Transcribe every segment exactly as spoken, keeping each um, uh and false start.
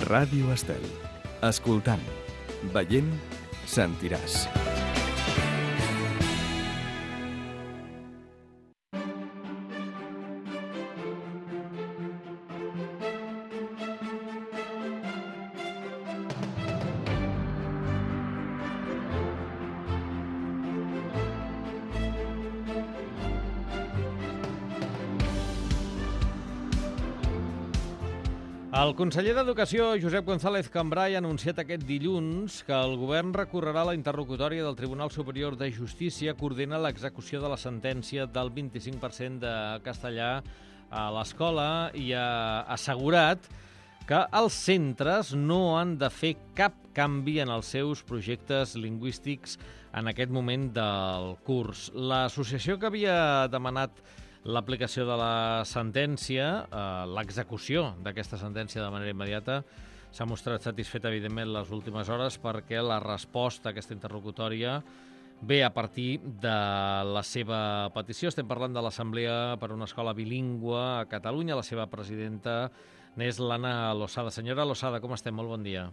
Ràdio Estel. Escoltant, veient, sentiràs. El conseller d'Educació, Josep González Cambray, ha anunciat aquest dilluns que el govern recorrerà la interlocutòria del Tribunal Superior de Justícia que ordena l'execució de la sentència del vint-i-cinc per cent de castellà a l'escola i ha assegurat que els centres no han de fer cap canvi en els seus projectes lingüístics en aquest moment del curs. L'associació que havia demanat l'aplicació de la sentència, eh, l'execució d'aquesta sentència de manera immediata, s'ha mostrat satisfeta, evidentment, les últimes hores perquè la resposta a aquesta interlocutòria ve a partir de la seva petició. Estem parlant de l'Assemblea per una Escola Bilingüe a Catalunya. La seva presidenta n'és l'Anna Losada. Senyora Losada, com estem? Molt bon dia.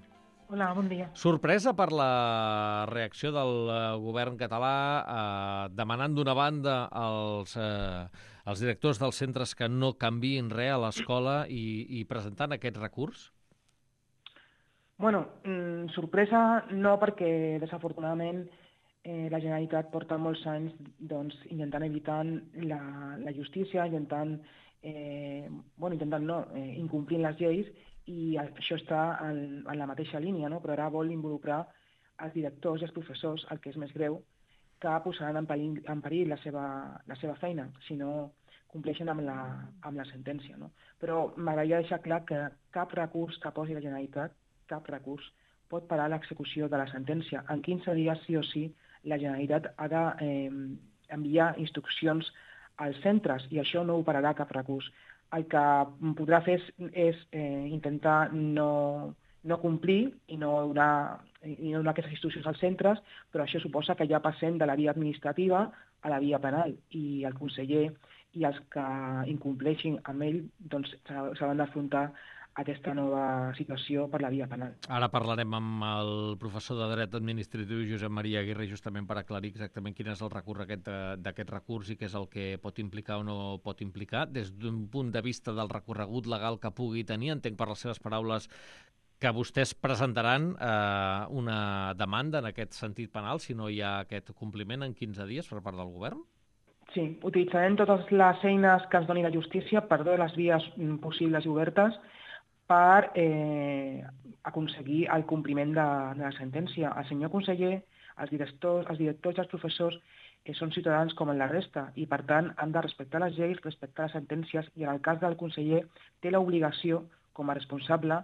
Hola, bon dia. Sorpresa per la reacció del govern català eh, demanant d'una banda als, eh, als directors dels centres que no canviïn res a l'escola i, i presentant aquest recurs? Bueno, mm, sorpresa no, perquè desafortunadament eh, la Generalitat porta molts anys doncs, intentant evitar la, la justícia, intentant, eh, bueno, intentant no, eh, incomplint les lleis, i això està en, en la mateixa línia, no? Però ara vol involucrar els directors i els professors, el que és més greu, que posaran en perill, en perill la, seva, la seva feina si no compleixen amb la, amb la sentència. No? Però m'agradaria deixar clar que cap recurs que posi la Generalitat, cap recurs, pot parar l'execució de la sentència. En quinze dies, sí o sí, la Generalitat ha d'enviar eh, instruccions als centres i això no ho pararà cap recurs. El que podrà fer és, és eh, intentar no, no complir i no, donar, i no donar aquestes instruccions als centres, però això suposa que ja passem de la via administrativa a la via penal i el conseller i els que incompleixin amb ell doncs, s'hauran d'afrontar aquesta nova situació per la via penal. Ara parlarem amb el professor de Dret Administratiu Josep Maria Aguirre justament per aclarir exactament quin és el recorregut d'aquest recurs i què és el que pot implicar o no pot implicar. Des d'un punt de vista del recorregut legal que pugui tenir, entenc per les seves paraules que vostès presentaran eh, una demanda en aquest sentit penal si no hi ha aquest compliment en quinze dies per part del govern? Sí, utilitzarem totes les eines que ens doni la justícia per totes les vies possibles i obertes per eh, aconseguir el compliment de, de la sentència. El senyor conseller, els directors, els directors i els professors eh, són ciutadans com en la resta i, per tant, han de respectar les lleis, respectar les sentències i, en el cas del conseller, té l'obligació, com a responsable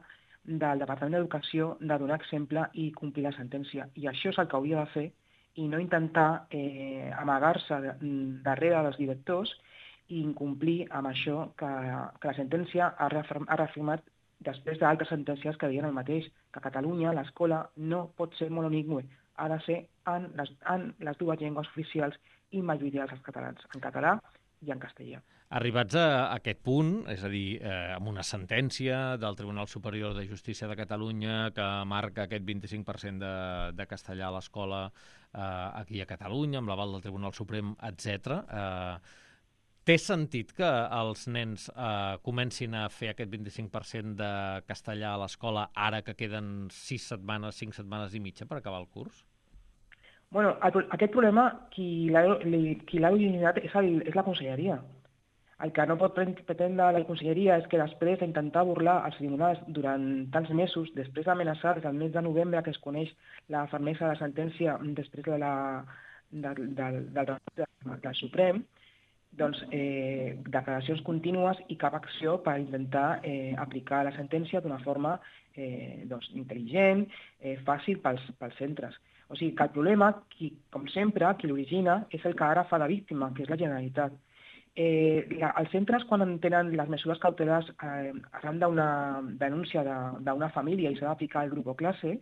del Departament d'Educació, de donar exemple i complir la sentència. I això és el que hauria de fer i no intentar eh, amagar-se darrere dels directors i incomplir amb això que, que la sentència ha, reafirm, ha reafirmat després d'altres sentències que diuen el mateix, que a Catalunya l'escola no pot ser monolingüe, ha de ser en les, en les dues llengües oficials i majoritàries dels catalans, en català i en castellà. Arribats a aquest punt, és a dir, eh, amb una sentència del Tribunal Superior de Justícia de Catalunya que marca aquest vint-i-cinc per cent de, de castellà a l'escola eh, aquí a Catalunya, amb l'aval del Tribunal Suprem, etcètera, eh, té sentit que els nens eh, comencin a fer aquest vint-i-cinc per cent de castellà a l'escola ara que queden sis setmanes, cinc setmanes i mitja per acabar el curs? Bueno, aquest problema, qui l'ha originat és, el, és la conselleria. El que no pot pretendre la conselleria és que després d'intentar burlar els tribunals durant tants mesos, després d'amenaçar des del mes de novembre que es coneix la fermesa de la sentència després de la, de, de, de, de, del Suprem, doncs, eh, declaracions contínues i cap acció per intentar eh, aplicar la sentència d'una forma eh, doncs, intel·ligent, eh, fàcil pels, pels centres. O sigui que el problema, qui, com sempre, qui l'origina és el que ara fa la víctima, que és la Generalitat. Eh, la, els centres, quan tenen les mesures cautelars eh, arran d'una denúncia d'una família i s'ha d'aplicar el grup o classe,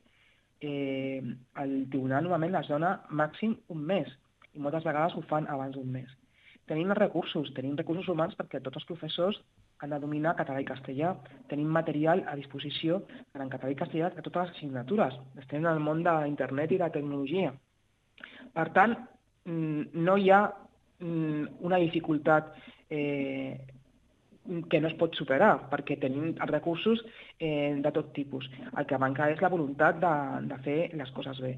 eh, el tribunal normalment les dona màxim un mes i moltes vegades ho fan abans d'un mes. Tenim els recursos, tenim recursos humans perquè tots els professors han de dominar català i castellà. Tenim material a disposició per en català i castellà a totes les assignatures. Estem en el món d'internet i de tecnologia. Per tant, no hi ha una dificultat eh, que no es pot superar, perquè tenim els recursos eh, de tot tipus. El que manca és la voluntat de, de fer les coses bé.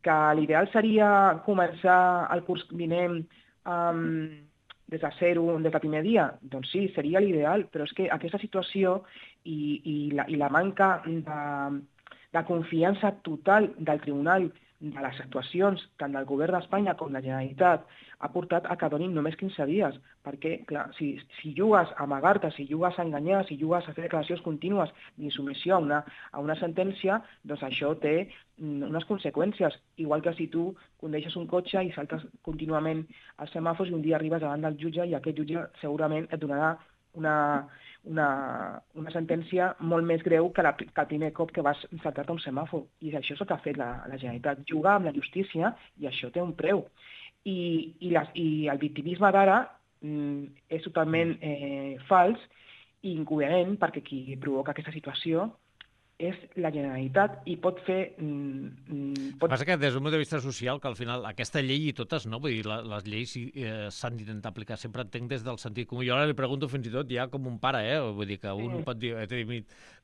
Que l'ideal seria començar el curs vinent um, des de zero, des del primer dia? Doncs sí, seria l'ideal, però és que aquesta situació i, i, la, i la manca de, de confiança total del Tribunal de les actuacions, tant del govern d'Espanya com de la Generalitat, ha portat a que donin només quinze dies, perquè, clar, si, si jugues a amagar-te, si jugues a enganyar, si jugues a fer declaracions contínues d'insubmissió a una, a una sentència, doncs això té unes conseqüències, igual que si tu condueixes un cotxe i saltes contínuament als semàfors i un dia arribes davant del jutge i aquest jutge segurament et donarà una, una, una sentència molt més greu que, la, que el primer cop que vas saltar-te un semàfor. I això és el que ha fet la, la Generalitat, jugar amb la justícia, i això té un preu. I, i, les, i el victimisme d'ara mm, és totalment eh, fals i incoherent, perquè qui provoca aquesta situació és la Generalitat i pot fer... Mm, pot... El que passa que des d'un punt de vista social, que al final aquesta llei i totes, no? Vull dir, la, les lleis eh, s'han d'intentar aplicar, sempre entenc des del sentit comú. Jo ara li pregunto fins i tot ja com un pare, eh? Vull dir que un sí. pot dir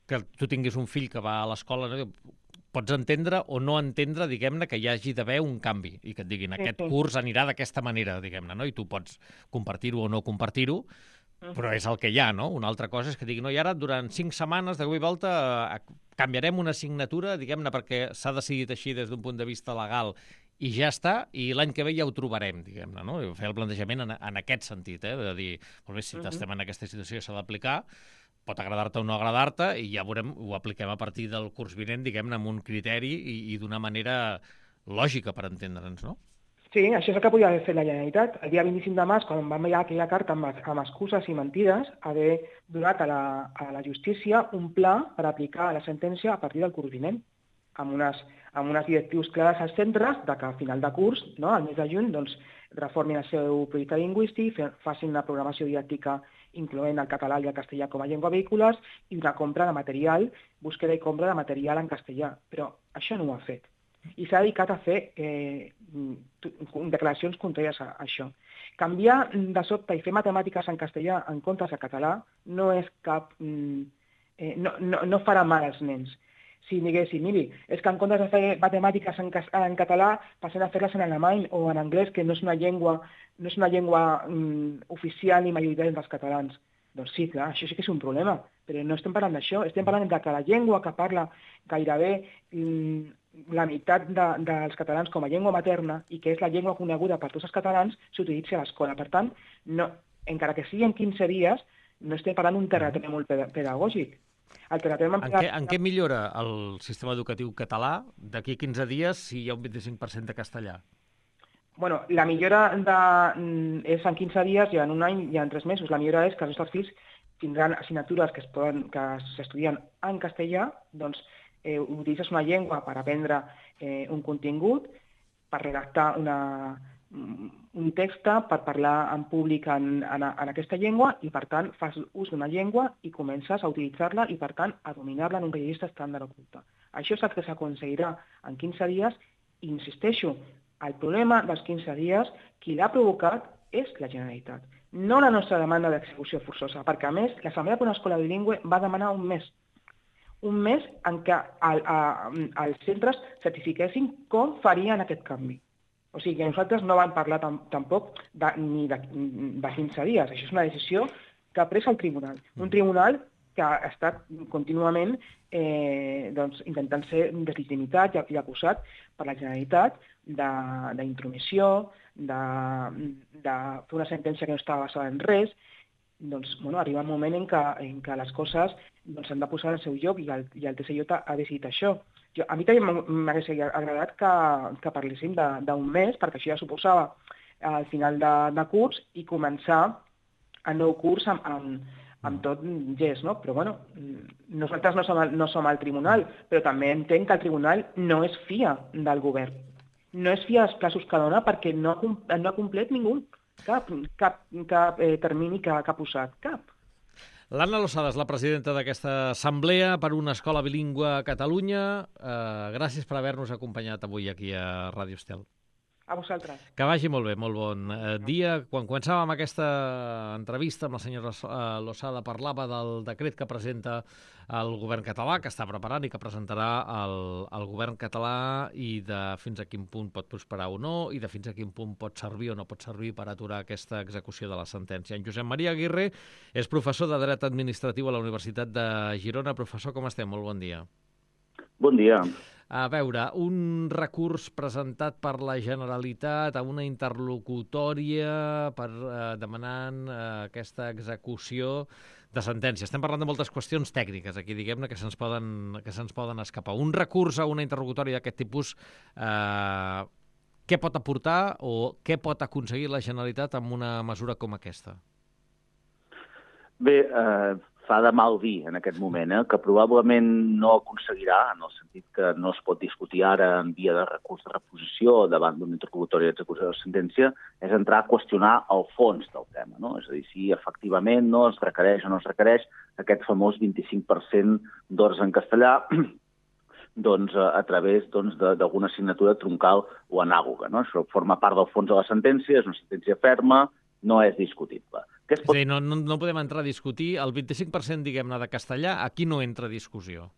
que tu tinguis un fill que va a l'escola, no? Pots entendre o no entendre, diguem-ne, que hi hagi d'haver un canvi i que et diguin aquest curs anirà d'aquesta manera, diguem-ne, no? I tu pots compartir-ho o no compartir-ho, però és el que hi ha, no? Una altra cosa és que digui, no, i ara durant cinc setmanes de cop i volta canviarem una assignatura, diguem-ne, perquè s'ha decidit així des d'un punt de vista legal i ja està, i l'any que ve ja ho trobarem, diguem-ne, no? Fer el plantejament en, en aquest sentit, eh? De dir, molt bé, si uh-huh. estem en aquesta situació s'ha d'aplicar, pot agradar-te o no agradar-te, i ja veurem, ho apliquem a partir del curs vinent, diguem-ne, amb un criteri i, i d'una manera lògica per entendre'ns, no? Sí, això és el que podia haver fet la Generalitat. El dia vint-i-cinc de març, quan vam veure aquella carta amb, amb excuses i mentides, haver donat a la, a la justícia un pla per aplicar la sentència a partir del curs vinent, amb unes, amb unes directius clares als centres de que a final de curs, no, al mes de juny, doncs, reformin el seu projecte lingüístic, facin una programació didàctica incloent el català i el castellà com a llengua vehiculars i una compra de material, búsqueda i compra de material en castellà. Però això no ho ha fet. I s'ha dedicat a fer eh, declaracions contràries a, a això. Canviar de sobte i fer matemàtiques en castellà en comptes de català no és cap... Eh, no, no, no farà mal als nens. Si diguéssim, miri, és que en comptes de fer matemàtiques en, en català passem a fer-les en alemany o en anglès, que no és una llengua, no és una llengua mm, oficial ni majoritària dels catalans. Doncs sí, clar, això sí que és un problema, però no estem parlant d'això, estem parlant de que la llengua que parla gairebé mm, la meitat de, dels catalans com a llengua materna i que és la llengua coneguda per tots els catalans s'utilitzi a l'escola. Per tant, no, encara que sigui en quinze dies, no estem parlant d'un terratrèmol pedagògic. El terratrèmol en, què, en què millora el sistema educatiu català d'aquí a quinze dies si hi ha un vint-i-cinc per cent de castellà? Bueno, la millora de, és en quinze dies i en un any i en tres mesos. La millora és que els nostres fills tindran assignatures que es poden, que s'estudien en castellà, doncs eh, utilitzes una llengua per aprendre eh, un contingut, per redactar una, un text, per parlar en públic en, en, en aquesta llengua i, per tant, fas ús d'una llengua i comences a utilitzar-la i, per tant, a dominar-la en un registre estàndard oculte. Això és el que s'aconseguirà en quinze dies i, insisteixo, el problema dels quinze dies, qui l'ha provocat és la Generalitat, no la nostra demanda d'execució forçosa, perquè, a més, l'Assemblea per una Escola Bilingüe va demanar un mes, un mes en què el, a, els centres certifiquessin com farien aquest canvi. O sigui que nosaltres no vam parlar tam, tampoc de, ni de, de quinze dies, això és una decisió que ha pres el tribunal, un tribunal que ha estat contínuament eh, doncs, intentant ser deslimitat i, i acusat per la Generalitat d'intromissió, de, de, de fer una sentència que no estava basada en res. Doncs, bueno, arriba un moment en què, en què les coses doncs, s'han de posar al seu lloc i el, i el T C J ha decidit això. Jo, a mi també m'hagués agradat que, que parléssim d'un mes, perquè això ja suposava al final de, de curs i començar el nou curs amb, amb, amb tot gest, no? Però, bueno, nosaltres no som, el, no som el tribunal, però també entenc que el tribunal no es fia del govern. No es fia dels plaços que dona perquè no, no ha complet ningú, cap, cap, cap eh, termini que, que ha posat, cap. L'Anna Losada és la presidenta d'aquesta assemblea per una escola bilingüe a Catalunya. Eh, gràcies per haver-nos acompanyat avui aquí a Ràdio Estel. A vosaltres. Que vagi molt bé, molt bon eh, dia. Quan començàvem aquesta entrevista amb la senyora Losada parlava del decret que presenta el govern català, que està preparant i que presentarà el, el govern català, i de fins a quin punt pot prosperar o no, i de fins a quin punt pot servir o no pot servir per aturar aquesta execució de la sentència. En Josep Maria Aguirre és professor de Dret Administratiu a la Universitat de Girona. Professor, com estem? Molt bon dia. Bon dia. A veure, un recurs presentat per la Generalitat a una interlocutòria per eh, demanant eh, aquesta execució de sentència. Estem parlant de moltes qüestions tècniques aquí, diguem-ne, que se'ns poden, que se'ns poden escapar. Un recurs a una interlocutòria d'aquest tipus, eh, què pot aportar o què pot aconseguir la Generalitat amb una mesura com aquesta? Bé, eh, fa de mal dir en aquest moment, eh, que probablement no aconseguirà, en el sentit que no es pot discutir ara en via de recurs de reposició davant d'una interlocutòria d'execució de la sentència, és entrar a qüestionar el fons del tema, no? És a dir, si efectivament no es requereix o no es requereix aquest famós vint-i-cinc per cent d'hores en castellà doncs, a través doncs, d'alguna assignatura troncal o anàloga, no? Això forma part del fons de la sentència, és una sentència ferma, no és discutible. És pot... a dir, no, no, no podem entrar a discutir el vint-i-cinc per cent, diguem-ne, de castellà, aquí no entra a discussió.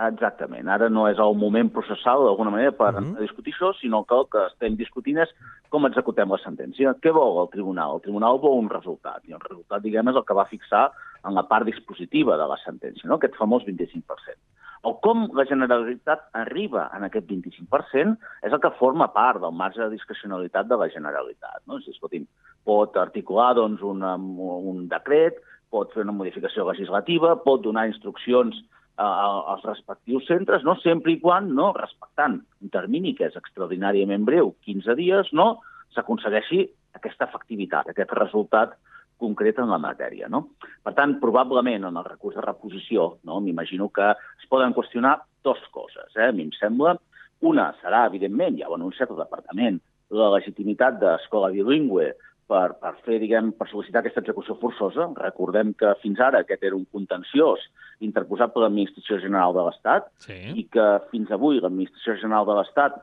Exactament. Ara no és el moment processal, d'alguna manera, per uh-huh. entrar a discutir això, sinó que el que estem discutint és com executem la sentència. Què vol el tribunal? El tribunal vol un resultat, i el resultat, diguem, és el que va fixar en la part dispositiva de la sentència, no? Aquest famós vint-i-cinc per cent. O com la Generalitat arriba en aquest vint-i-cinc per cent és el que forma part del marge de discrecionalitat de la Generalitat, no? És a dir, escolti'm, pot articular doncs, un, un decret, pot fer una modificació legislativa, pot donar instruccions a, als respectius centres, no? Sempre i quan, no? Respectant un termini que és extraordinàriament breu, quinze dies, no? S'aconsegueixi aquesta efectivitat, aquest resultat concret en la matèria, no? Per tant, probablement en el recurs de reposició, no? M'imagino que es poden qüestionar dues coses, eh? A mi em sembla. Una serà, evidentment, ja ho ha anunciat el Departament, la legitimitat d'escola bilingüe per, per fer, diguem, per sol·licitar aquesta execució forçosa. Recordem que fins ara aquest era un contenciós interposat per l'Administració General de l'Estat, sí, i que fins avui l'Administració General de l'Estat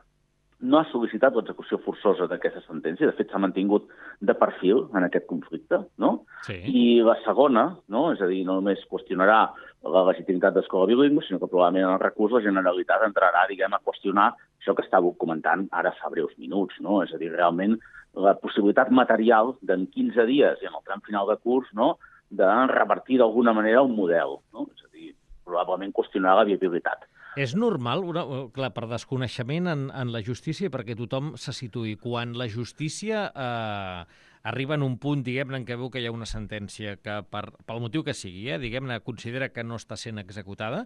no ha sol·licitat l'execució forçosa d'aquesta sentència. De fet, s'ha mantingut de perfil en aquest conflicte, no? Sí. I la segona, no? És a dir, no només qüestionarà la legitimitat d'escola bilingüe, sinó que probablement en el recurs la Generalitat entrarà, diguem, a qüestionar això que estàveu comentant ara fa breus minuts, no? És a dir, realment la possibilitat material d'en quinze dies i en el tram final de curs, no?, de revertir d'alguna manera el model, no? És a dir, probablement qüestionar la viabilitat. És normal, una, clar, per desconeixement en, en la justícia, perquè tothom se situï, quan la justícia eh, arriba en un punt, diguem-ne, en què veu que hi ha una sentència que, per, pel motiu que sigui, eh, diguem-ne, considera que no està sent executada,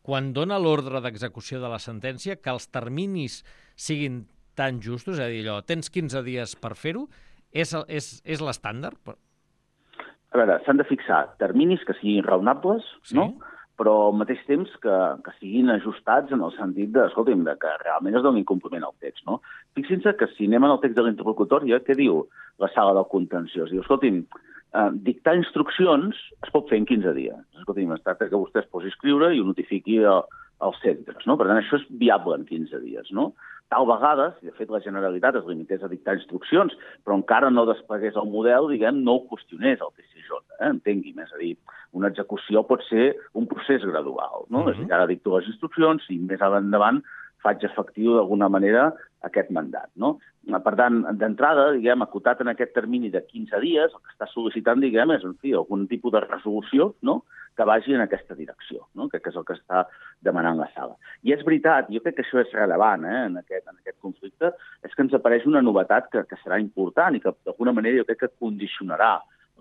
quan dona l'ordre d'execució de la sentència, que els terminis siguin tan justos, és a dir, allò, tens quinze dies per fer-ho, és, és, és l'estàndard? A veure, s'han de fixar terminis que siguin raonables, sí, no?, però al mateix temps que, que siguin ajustats en el sentit de, escolti'm, de que realment es doni compliment al text, no? Fixin-se que si anem al text de la interlocutòria, què diu la sala del contenciós? Diu, escolti'm, eh, dictar instruccions es pot fer en quinze dies. Escolti'm, es tracta que vostè es posi a escriure i ho notifiqui a, als centres, no? Per tant, això és viable en quinze dies, no? Tal vegada, si de fet la Generalitat es limités a dictar instruccions, però encara no desplegués el model, diguem, no ho qüestionés el T C J, eh? Entengui'm, és a dir, una execució pot ser un procés gradual, no? Mm-hmm. És a dir, ara dicto les instruccions i més endavant faig efectiu d'alguna manera aquest mandat, no? Per tant, d'entrada, diguem, acotat en aquest termini de quinze dies, el que està sol·licitant, diguem, és, en fi, algun tipus de resolució, no?, que vagi en aquesta direcció, no?, que és el que està demanant la sala. I és veritat, jo crec que això és rellevant, eh, en aquest, en aquest conflicte, és que ens apareix una novetat que, que serà important i que, d'alguna manera, jo crec que condicionarà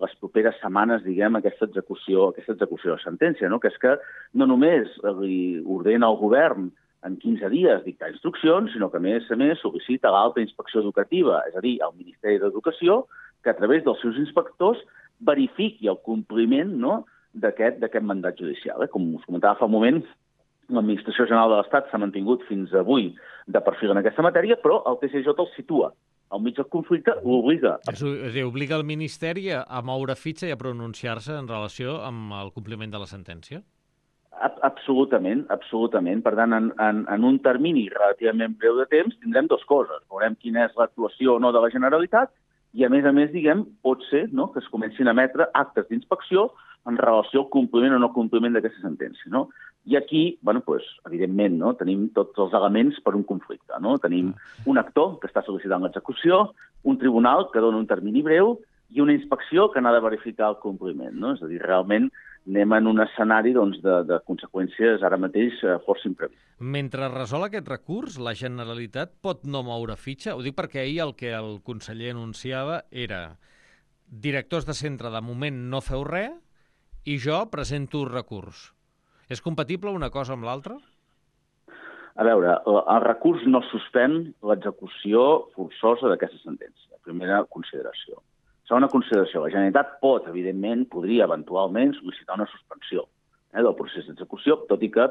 les properes setmanes, diguem, aquesta execució, aquesta execució de sentència, no?, que és que no només li ordena al govern en quinze dies dictar instruccions, sinó que, a més a més, sol·licita l'alta inspecció educativa, és a dir, el Ministeri d'Educació, que a través dels seus inspectors verifiqui el compliment, no?, d'aquest d'aquest mandat judicial. Eh? Com us comentava fa un moment, l'Administració General de l'Estat s'ha mantingut fins avui de perfil en aquesta matèria, però el T C J el situa al mig del conflicte, l'obliga. És a dir, obliga el Ministeri a moure fitxa i a pronunciar-se en relació amb el compliment de la sentència? Absolutament, absolutament. Per tant, en, en, en un termini relativament breu de temps tindrem dues coses. Veurem quina és l'actuació o no de la Generalitat i, a més a més, diguem, pot ser, no?, que es comencin a emetre actes d'inspecció en relació al compliment o no compliment d'aquesta sentència, no? I aquí, bueno, pues, evidentment, no?, tenim tots els elements per un conflicte, no? Tenim un actor que està sol·licitant l'execució, un tribunal que dona un termini breu i una inspecció que n'ha de verificar el compliment, no? És a dir, realment anem en un escenari doncs, de, de conseqüències ara mateix eh, força imprevistes. Mentre resol aquest recurs, la Generalitat pot no moure fitxa? Ho dic perquè ahir el que el conseller anunciava era directors de centre, de moment no feu res i jo presento recurs. És compatible una cosa amb l'altra? A veure, el recurs no suspèn l'execució forçosa d'aquesta sentència. Primera consideració. Segona consideració, la Generalitat pot, evidentment, podria eventualment sol·licitar una suspensió eh, del procés d'execució, tot i que,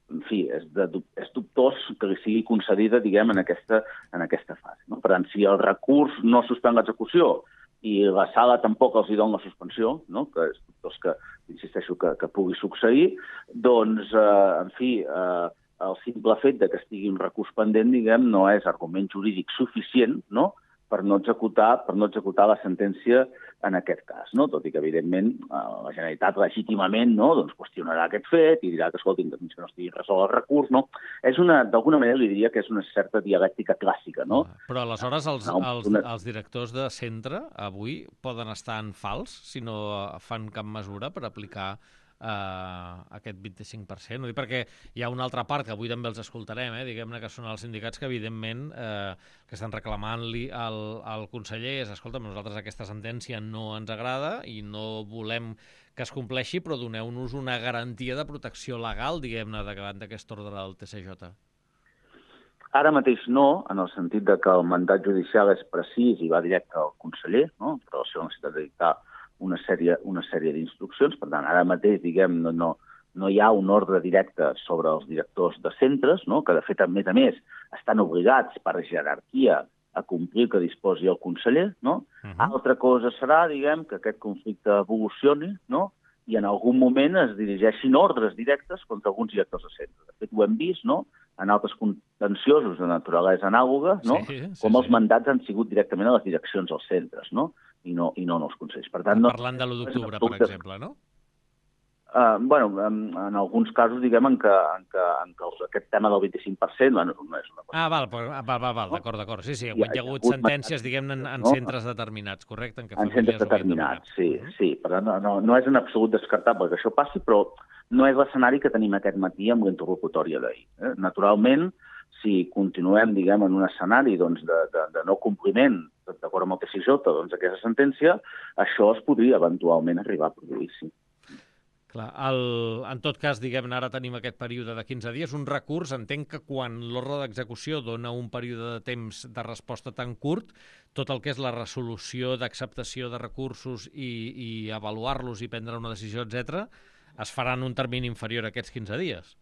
en fi, és, de, és dubtós que li sigui concedida, diguem, en aquesta, en aquesta fase. No? Per tant, si el recurs no suspèn l'execució i la sala tampoc els hi dona la suspensió, no? Que és dubtós que, insisteixo, que, que pugui succeir, doncs, eh, en fi, eh, el simple fet de que estigui un recurs pendent, diguem, no és argument jurídic suficient, no?, per no executar, per no executar la sentència en aquest cas, no? Tot i que, evidentment, la Generalitat legítimament no, doncs qüestionarà aquest fet i dirà que, escolti, fins que no estigui resolt el recurs, no? És una, d'alguna manera li diria que és una certa dialèctica clàssica, no? Però aleshores els, els, els directors de centre avui poden estar en fals si no fan cap mesura per aplicar Uh, aquest vint-i-cinc per cent. No? Perquè hi ha una altra part que avui també els escoltarem, eh? Diguem-ne que són els sindicats que evidentment eh, que estan reclamant-li al, al conseller és, escolta, nosaltres aquesta sentència no ens agrada i no volem que es compleixi, però doneu-nos una garantia de protecció legal, diguem-ne, davant d'aquest ordre del T C J. Ara mateix no, en el sentit de que el mandat judicial és precís i va directe al conseller, no?, en relació amb la necessitat de dictar una sèrie, una sèrie d'instruccions. Per tant, ara mateix, diguem, no, no, no hi ha un ordre directe sobre els directors de centres, no?, que de fet, a més a més, estan obligats per jerarquia a complir que disposi el conseller, no? Uh -huh. Altra cosa serà, diguem, que aquest conflicte evolucioni, no?, i en algun moment es dirigeixin ordres directes contra alguns directors de centres. De fet, ho hem vist, no?, en altres contenciosos de naturalesa anàloga, no?, sí, sí, com els sí. mandats han sigut directament a les direccions dels centres, no?, i no, i no en els consells. Per tant, no, parlant de l'u d'octubre, per exemple, no? Uh, bueno, en, en alguns casos, diguem, en què, en què, en què aquest tema del vint-i-cinc per cent bueno, no és una cosa. Ah, val, val, val, val no? d'acord, d'acord. Sí, sí, hi ha, hi ha hagut sentències, diguem, en, en no? centres determinats, correcte? En, què en centres determinats, sí, uh -huh. sí. Per tant, no, no, no és en absolut descartable que això passi, però no és l'escenari que tenim aquest matí amb la interlocutòria d'ahir. Eh? Naturalment, si continuem, diguem, en un escenari doncs, de, de, de no compliment, d'acord amb el T C J, doncs, aquesta sentència, això es podria eventualment arribar a produir, sí. Clar, el, en tot cas, diguem-ne, ara tenim aquest període de quinze dies, un recurs, entenc que quan l'ordre d'execució dona un període de temps de resposta tan curt, tot el que és la resolució d'acceptació de recursos i, i avaluar-los i prendre una decisió, etcètera, es farà en un termini inferior a aquests quinze dies.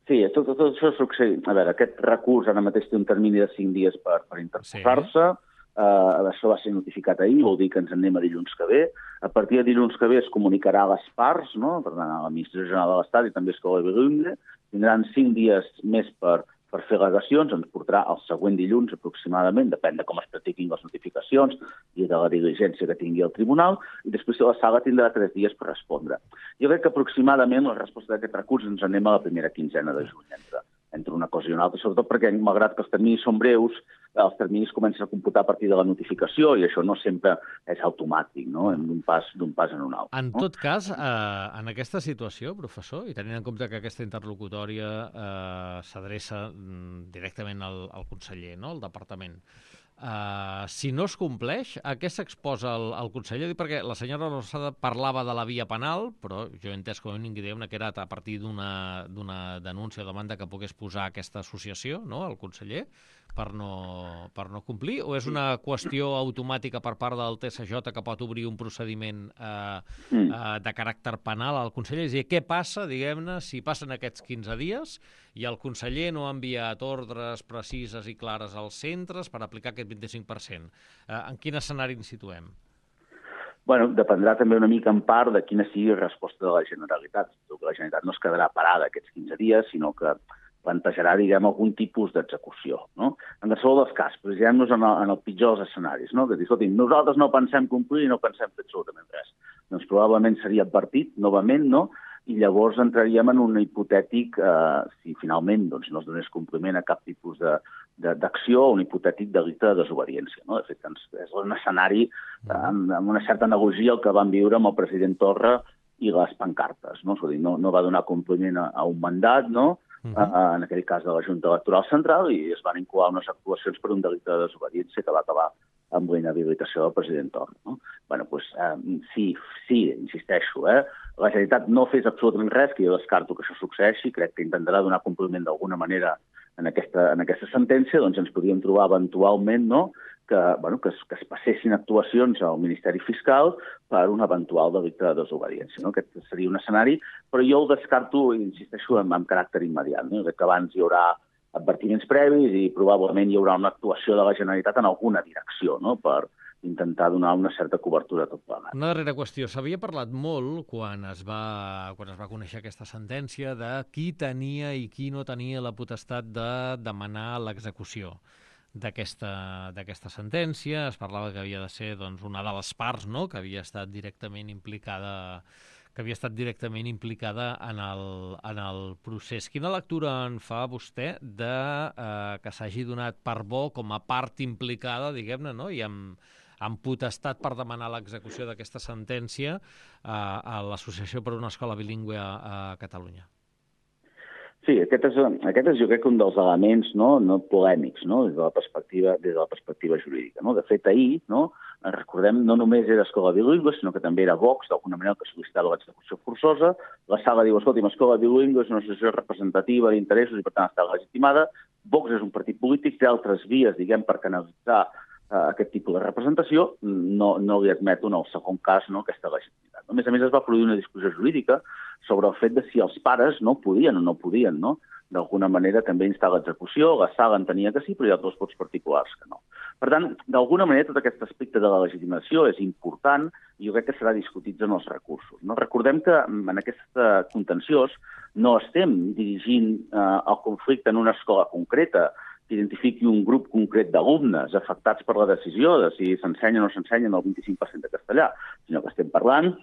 Sí, tot, tot això succeeix. A veure, aquest recurs ara mateix té un termini de cinc dies per, per interposar-se. Sí. Uh, això va ser notificat ahir, vol dir que ens en anem a dilluns que ve. A partir de dilluns que ve es comunicarà a les parts, no?, per tant, a l'Administració General de l'Estat i també a Escola de Bilingüe. Tindran cinc dies més per, per fer al·legacions, ens portarà el següent dilluns aproximadament, depèn de com es practiquin les notificacions i de la diligència que tingui el tribunal, i després la sala tindrà tres dies per respondre. Jo crec que aproximadament la resposta d'aquest recurs ens anem a la primera quinzena de juny, entre, entre una cosa i una altra, sobretot perquè, malgrat que els terminis són breus, els terminis comencen a computar a partir de la notificació i això no sempre és automàtic, no?, d'un pas, d'un pas en un altre. En no? tot cas, eh, en aquesta situació, professor, i tenint en compte que aquesta interlocutòria eh, s'adreça directament al, al conseller, no?, al departament, Uh, si no es compleix, a què s'exposa el, el conseller? Perquè la senyora Losada parlava de la via penal, però jo he entès com a mínim que era a partir d'una denúncia o demanda que pogués posar aquesta associació, no?, el conseller. per no, per no complir, o és una qüestió automàtica per part del T S J que pot obrir un procediment eh, mm. eh, de caràcter penal al conseller? És a dir, què passa, diguem-ne, si passen aquests quinze dies i el conseller no ha enviat ordres precises i clares als centres per aplicar aquest vint-i-cinc per cent? Eh, en quin escenari ens situem? Bueno, dependrà també una mica en part de quina sigui la resposta de la Generalitat. La Generalitat no es quedarà parada aquests quinze dies, sinó que plantejarà, diguem, algun tipus d'execució, no? En qualsevol dels casos, posem-nos en, en el pitjor dels escenaris, no? Que dir, escolti, nosaltres no pensem complir i no pensem fer absolutament res. Doncs probablement seria advertit, novament, no? I llavors entraríem en un hipotètic, eh, si finalment doncs, no es donés compliment a cap tipus de, de, d'acció, un hipotètic delicte de desobediència, no? De fet, és un escenari eh, amb, amb una certa analogia el que vam viure amb el president Torra i les pancartes, no? Dir, no, no va donar compliment a, a un mandat, no? Uh-huh. uh, en aquell cas de la Junta Electoral Central, i es van incoar unes actuacions per un delicte de desobediència que va acabar amb la inhabilitació del president Torra. No? Bueno, doncs, eh, sí, sí, insisteixo, eh? La Generalitat no fes absolutament res, que jo descarto que això succeeixi, crec que intentarà donar compliment d'alguna manera en aquesta, en aquesta sentència, doncs ens podríem trobar eventualment, no?, que, bueno, que, es, que es passessin actuacions al Ministeri Fiscal per un eventual delicte de desobediència. No? Aquest seria un escenari, però jo el descarto, insisteixo, amb, amb caràcter immediat. No? Que abans hi haurà advertiments previs i probablement hi haurà una actuació de la Generalitat en alguna direcció, no?, per intentar donar una certa cobertura a tot plegat. Una darrera qüestió. S'havia parlat molt, quan es va, quan es va conèixer aquesta sentència, de qui tenia i qui no tenia la potestat de demanar l'execució d'aquesta d'aquesta sentència. Es parlava que havia de ser, doncs, una de les parts, no?, que havia estat directament implicada que havia estat directament implicada en el, en el procés. Quina lectura en fa vostè de eh, que s'hagi donat per bo com a part implicada, diguem-ne, no?, i amb, amb potestat per demanar l'execució d'aquesta sentència eh, a l'Associació per una Escola Bilingüe a, a Catalunya? Sí, aquest és, aquest és jo crec un dels elements no, no polèmics, no, des de la perspectiva, des de la perspectiva jurídica. No? De fet, ahir, no, recordem, no només era Escola Bilingüe, sinó que també era Vox, d'alguna manera, que sol·licitava l'execució forçosa. La sala diu, escolti, Escola Bilingüe és una associació representativa d'interessos i, per tant, està legitimada. Vox és un partit polític, té altres vies, diguem, per canalitzar uh, aquest tipus de representació. No, no li admeto, en el segon cas, no, aquesta legitimitat. A més a més, es va produir una discussió jurídica sobre el fet de si els pares no podien o no podien, no?, d'alguna manera també instar l'execució. La sala entenia que sí, però hi ha altres vots particulars que no. Per tant, d'alguna manera, tot aquest aspecte de la legitimació és important i jo crec que serà discutit en els recursos. No? Recordem que en aquest contenciós no estem dirigint eh, el conflicte en una escola concreta que identifiqui un grup concret d'alumnes afectats per la decisió de si s'ensenya o no s'ensenya el vint-i-cinc per cent de castellà, sinó que estem parlant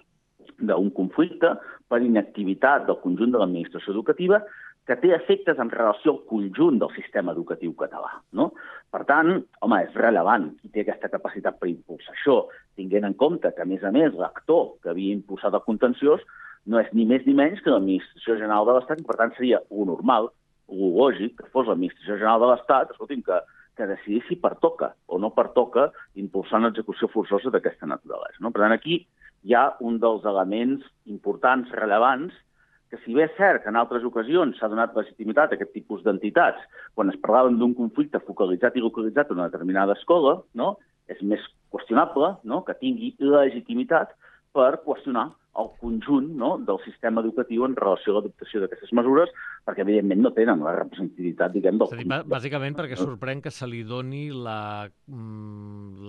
d'un conflicte per inactivitat del conjunt de l'administració educativa que té efectes en relació al conjunt del sistema educatiu català. No? Per tant, home, és rellevant qui té aquesta capacitat per impulsar això, tinguent en compte que, a més a més, l'actor que havia impulsat el contenciós no és ni més ni menys que l'Administració General de l'Estat, i per tant seria lo normal, lo lògic, que fos l'Administració General de l'Estat, escolti'm, que, que decidís si pertoca o no pertoca impulsar una execució forçosa d'aquesta naturalesa. No? Per tant, aquí hi ha un dels elements importants, rellevants, que si bé és cert que en altres ocasions s'ha donat legitimitat a aquest tipus d'entitats, quan es parlaven d'un conflicte focalitzat i localitzat en una determinada escola, no?, és més qüestionable, no?, que tingui legitimitat per qüestionar el conjunt, no?, del sistema educatiu en relació a l'adoptació d'aquestes mesures, perquè evidentment no tenen la representativitat, diguem, del... És a dir, bàsicament perquè sorprèn que se li doni la,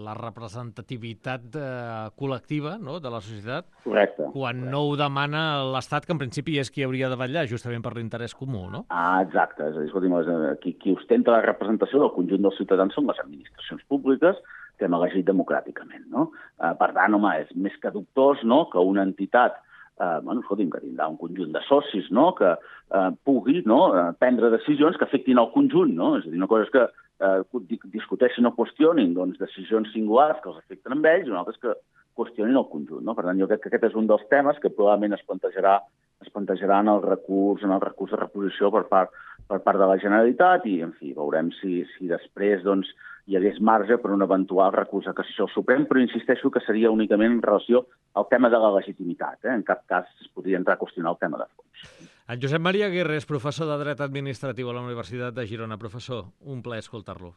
la representativitat eh, col·lectiva, no?, de la societat. Correcte. Quan correcte. no ho demana l'Estat, que en principi és qui hauria de vetllar justament per l'interès comú, no? Ah, exacte. És a dir, escolti'm, qui, qui ostenta la representació del conjunt dels ciutadans són les administracions públiques, que hem elegit democràticament, no? Eh, per tant, home, és més que dubtós, no?, que una entitat, eh, bueno, escolti'm, que tindrà un conjunt de socis, no?, que eh, pugui, no?, prendre decisions que afectin el conjunt, no? És a dir, una cosa és que eh, discuteixin o qüestionin, doncs, decisions singulars que els afecten amb ells, i una altra és que qüestionin el conjunt, no? Per tant, jo crec que aquest és un dels temes que probablement es plantejarà es plantejarà en el recurs, en el recurs de reposició per part, per part de la Generalitat i, en fi, veurem si, si després, doncs, hi hagués marge per un eventual recurs de cassació al Suprem, però insisteixo que seria únicament en relació al tema de la legitimitat. Eh? En cap cas es podria entrar a qüestionar el tema de fons. En Josep Maria Aguirre és professor de Dret Administratiu a la Universitat de Girona. Professor, un plaer escoltar-lo.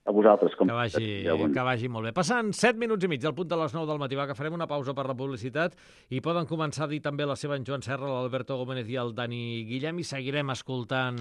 A vosaltres. Com que, vagi, ja, bon... que vagi molt bé. Passant set minuts i mig al punt de les nou del matí, va, que farem una pausa per la publicitat i poden començar a dir també la seva en Joan Serra, l'Alberto Gómez i el Dani Guillem, i seguirem escoltant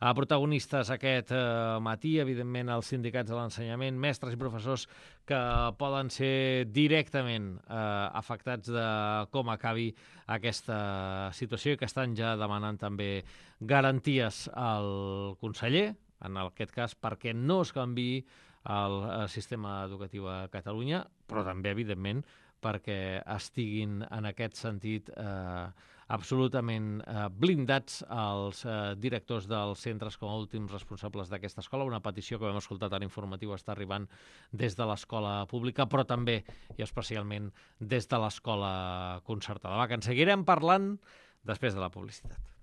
a protagonistes aquest eh, matí, evidentment els sindicats de l'ensenyament, mestres i professors que poden ser directament eh, afectats de com acabi aquesta situació i que estan ja demanant també garanties al conseller, en aquest cas perquè no es canviï el sistema educatiu a Catalunya, però també, evidentment, perquè estiguin en aquest sentit eh, absolutament eh, blindats els eh, directors dels centres com a últims responsables d'aquesta escola. Una petició que vam escoltar tan informatiu està arribant des de l'escola pública, però també i especialment des de l'escola concertada. Va, que en seguirem parlant després de la publicitat.